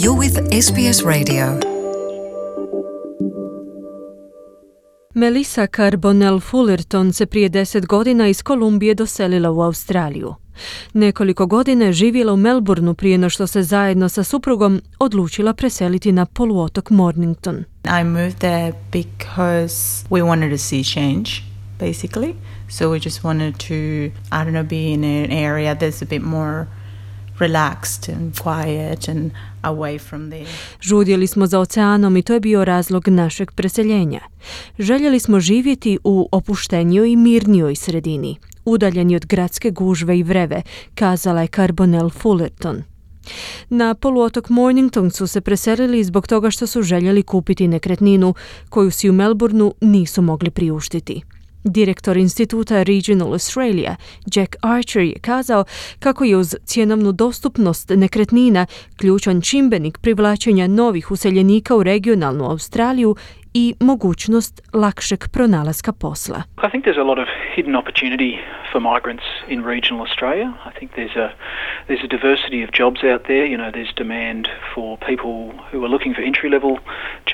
You're with SBS Radio. Melissa Carbonell Fullerton se prije 10 godina iz Kolumbije doselila u Australiju. Nekoliko godina je živjela u Melbourneu prije no što se zajedno sa suprugom odlučila preseliti na poluotok Mornington. I moved there because we wanted to see change, basically. So we just wanted to, I don't know, be in an area that's a bit more relaxed and quiet and away from there. Žudjeli smo za oceanom i to je bio razlog našeg preseljenja. Željeli smo živjeti u opuštenijoj i mirnijoj sredini, udaljeni od gradske gužve i vreve, kazala je Carbonell Fullerton. Na poluotok Mornington su se preselili zbog toga što su željeli kupiti nekretninu koju si u Melbourneu nisu mogli priuštiti. Direktor instituta Regional Australia, Jack Archer, je kazao kako je uz cjenovnu dostupnost nekretnina ključan čimbenik privlačenja novih useljenika u regionalnu Australiju i mogućnost lakšeg pronalaska posla. I think there's a lot of hidden opportunity for migrants in regional Australia. I think there's a diversity of jobs out there. You know, there's demand for people who are looking for entry-level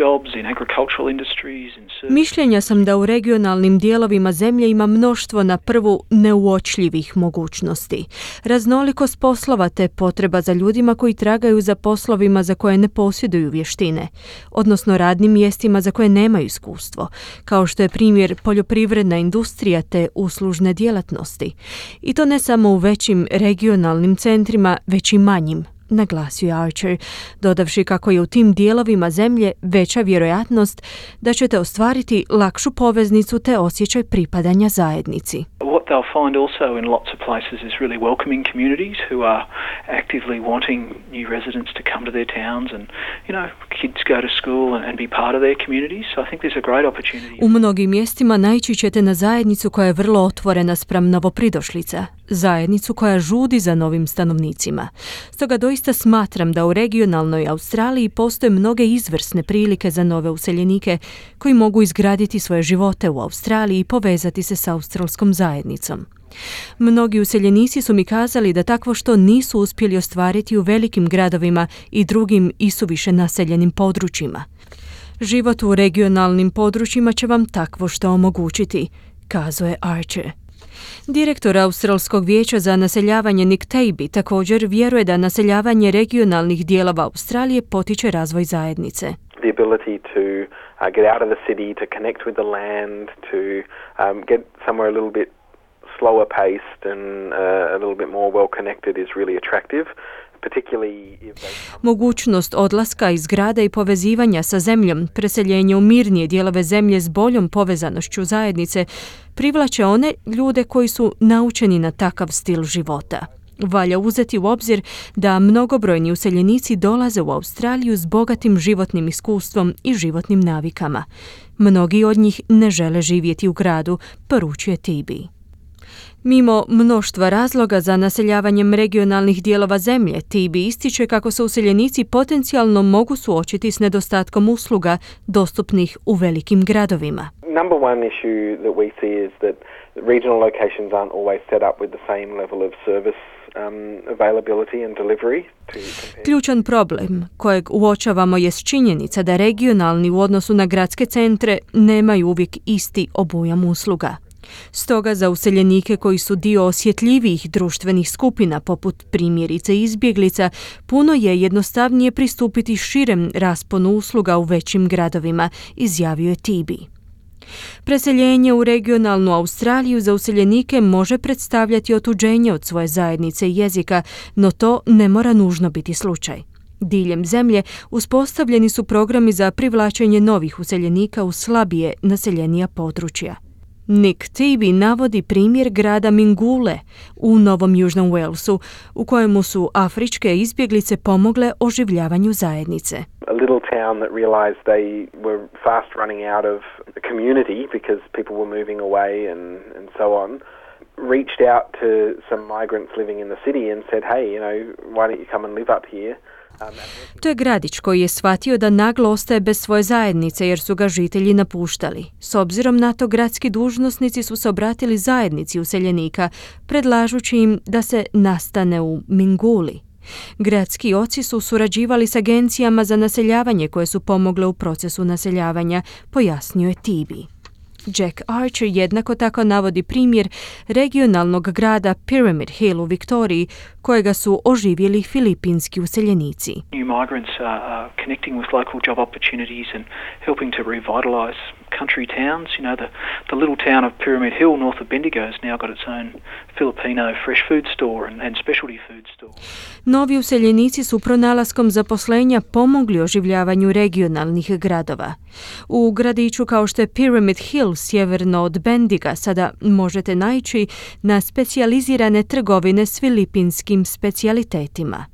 jobs in agricultural industries and services. Mišljenja sam da u regionalnim dijelovima zemlje ima mnoštvo na prvu neuočljivih mogućnosti. Raznolikost poslova te potreba za ljudima koji tragaju za poslovima za koje ne posjeduju vještine, odnosno radnim mjestima za koje nemaju iskustvo, kao što je primjer poljoprivredna industrija te uslužne djelatnosti. I to ne samo u većim regionalnim centrima, već i manjim, naglasio je Archer, dodavši kako je u tim dijelovima zemlje veća vjerojatnost da ćete ostvariti lakšu poveznicu te osjećaj pripadanja zajednici. What they'll find also in lots of places is really welcoming communities who are actively wanting new residents to come to their towns and, you know, kids go to school and be part of their communities. So I think there's a great opportunity. U mnogim mjestima naići ćete na zajednicu koja je vrlo otvorena spram novopridošlica, zajednicu koja žudi za novim stanovnicima. Stoga doista smatram da u regionalnoj Australiji postoje mnoge izvrsne prilike za nove useljenike koji mogu izgraditi svoje živote u Australiji i povezati se s australskom zajednicom. Mnogi useljenici su mi kazali da takvo što nisu uspjeli ostvariti u velikim gradovima i drugim isuviše naseljenim područjima. Život u regionalnim područjima će vam takvo što omogućiti, kazao je Archer. Direktor Australskog vijeća za naseljavanje Nick Taby također vjeruje da naseljavanje regionalnih dijelova Australije potiče razvoj zajednice. The ability to get out of the city, to connect with the land, to get somewhere a little bit slower paced and a little bit more well connected is really attractive. Mogućnost odlaska iz grada i povezivanja sa zemljom, preseljenje u mirnije dijelove zemlje s boljom povezanošću zajednice, privlače one ljude koji su naučeni na takav stil života. Valja uzeti u obzir da mnogobrojni useljenici dolaze u Australiju s bogatim životnim iskustvom i životnim navikama. Mnogi od njih ne žele živjeti u gradu, poručuje Taby. Mimo mnoštva razloga za naseljavanjem regionalnih dijelova zemlje, Taby ističe kako se useljenici potencijalno mogu suočiti s nedostatkom usluga dostupnih u velikim gradovima. Number one issue that we see is that regional locations aren't always set up with the same level of service availability and delivery. Ključan problem kojeg uočavamo jest činjenica da regionalni u odnosu na gradske centre nemaju uvijek isti obujam usluga. Stoga za useljenike koji su dio osjetljivijih društvenih skupina, poput primjerice izbjeglica, puno je jednostavnije pristupiti širem rasponu usluga u većim gradovima, izjavio je Taby. Preseljenje u regionalnu Australiju za useljenike može predstavljati otuđenje od svoje zajednice i jezika, no to ne mora nužno biti slučaj. Diljem zemlje uspostavljeni su programi za privlačenje novih useljenika u slabije naseljenija područja. Nick Taby navodi primjer grada Mingule u Novom Južnom Walesu, u kojemu su afričke izbjeglice pomogle oživljavanju zajednice. A little town that realized they were fast running out of the community because people were moving away and so on, reached out to some migrants living in the city and said, hey, you know, why don't you come and live up here? To je gradić koji je shvatio da naglo ostaje bez svoje zajednice jer su ga žitelji napuštali. S obzirom na to, gradski dužnosnici su se obratili zajednici useljenika, predlažući im da se nastane u Minguli. Gradski oci su surađivali s agencijama za naseljavanje koje su pomogle u procesu naseljavanja, pojasnio je Tibi. Jack Archer jednako tako navodi primjer regionalnog grada Pyramid Hill u Viktoriji, kojega su oživjeli filipinski useljenici. New migrants are connecting with local job opportunities and helping to revitalize country towns. You know, the little town of Pyramid Hill north of Bendigo has now got its own Filipino fresh food store and specialty food store. Novi useljenici su pronalaskom zaposlenja pomogli oživljavanju regionalnih gradova. U gradiću kao što je Pyramid Hill sjeverno od Bendiga sada možete naići na specijalizirane trgovine s filipinskim specijalitetima.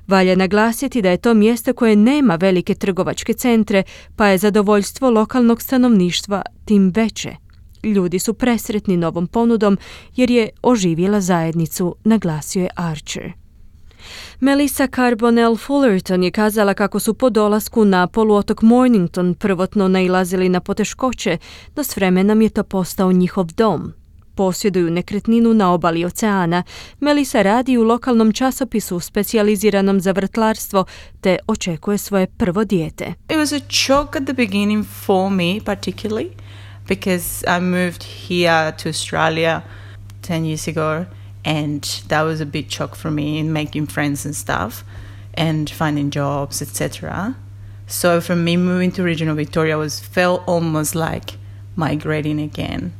Valja naglasiti da je to mjesto koje nema velike trgovačke centre, pa je zadovoljstvo lokalnog stanovništva tim veće. Ljudi su presretni novom ponudom jer je oživjela zajednicu, naglasio je Archer. Melissa Carbonell Fullerton je kazala kako su po dolasku na poluotok Mornington prvotno nailazili na poteškoće, no s vremenom je to postao njihov dom. Posjeduju nekretninu na obali oceana. Melissa radi u lokalnom časopisu specijaliziranom za vrtlarstvo te očekuje svoje prvo dijete. It was a shock at the beginning for me particularly because I moved here to Australia 10 years ago and that was a big shock for me in making friends and stuff and finding jobs, etc. So for me moving to regional Victoria felt almost like migrating again.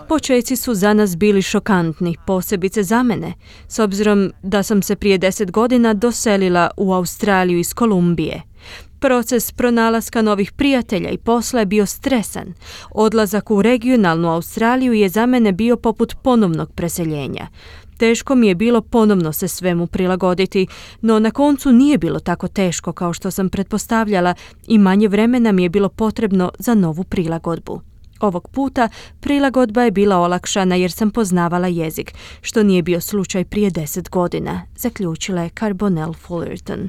Počeci su za nas bili šokantni, posebice za mene, s obzirom da sam se prije 10 godina doselila u Australiju iz Kolumbije. Proces pronalaska novih prijatelja i posla je bio stresan. Odlazak u regionalnu Australiju je za mene bio poput ponovnog preseljenja. Teško mi je bilo ponovno se svemu prilagoditi, no na koncu nije bilo tako teško kao što sam pretpostavljala i manje vremena mi je bilo potrebno za novu prilagodbu. Ovog puta prilagodba je bila olakšana jer sam poznavala jezik, što nije bio slučaj prije 10 godina, zaključila je Carbonell Fullerton.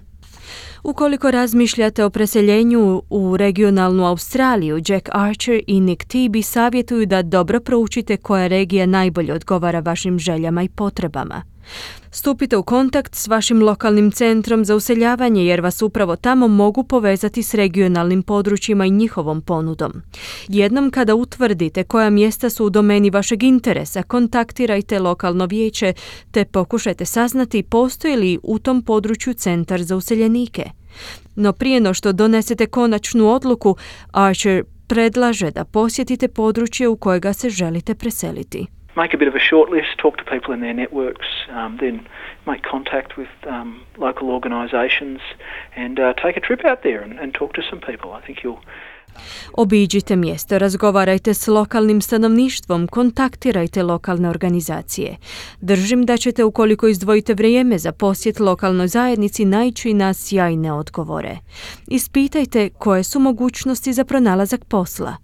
Ukoliko razmišljate o preseljenju u regionalnu Australiju, Jack Archer i Nick Tibi savjetuju da dobro proučite koja regija najbolje odgovara vašim željama i potrebama. Stupite u kontakt s vašim lokalnim centrom za useljavanje jer vas upravo tamo mogu povezati s regionalnim područjima i njihovom ponudom. Jednom kada utvrdite koja mjesta su u domeni vašeg interesa, kontaktirajte lokalno vijeće te pokušajte saznati postoji li u tom području centar za useljenike. No prije no što donesete konačnu odluku, Archer predlaže da posjetite područje u kojega se želite preseliti. Make a bit of a short list, talk to people in their networks, then make contact with local organisations and take a trip out there and talk to some people. I think you'll... Obiđite mjesto, razgovarajte s lokalnim stanovništvom, kontaktirajte lokalne organizacije. Držim da ćete, ukoliko izdvojite vrijeme za posjet lokalnoj zajednici, naići na sjajne odgovore. Ispitajte koje su mogućnosti za pronalazak posla.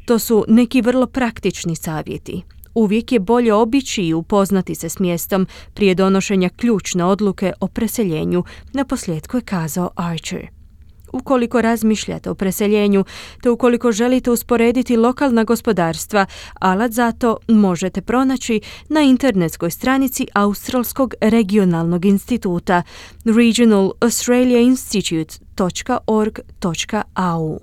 To su neki vrlo praktični savjeti. Uvijek je bolje obići i upoznati se s mjestom prije donošenja ključne odluke o preseljenju, naposljetku je kazao Archer. Ukoliko razmišljate o preseljenju, te ukoliko želite usporediti lokalna gospodarstva, alat za to možete pronaći na internetskoj stranici Australskog regionalnog instituta regionalaustraliainstitute.org.au.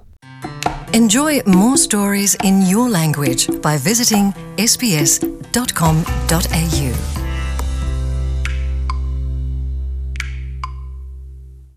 Enjoy more stories in your language by visiting sbs.com.au.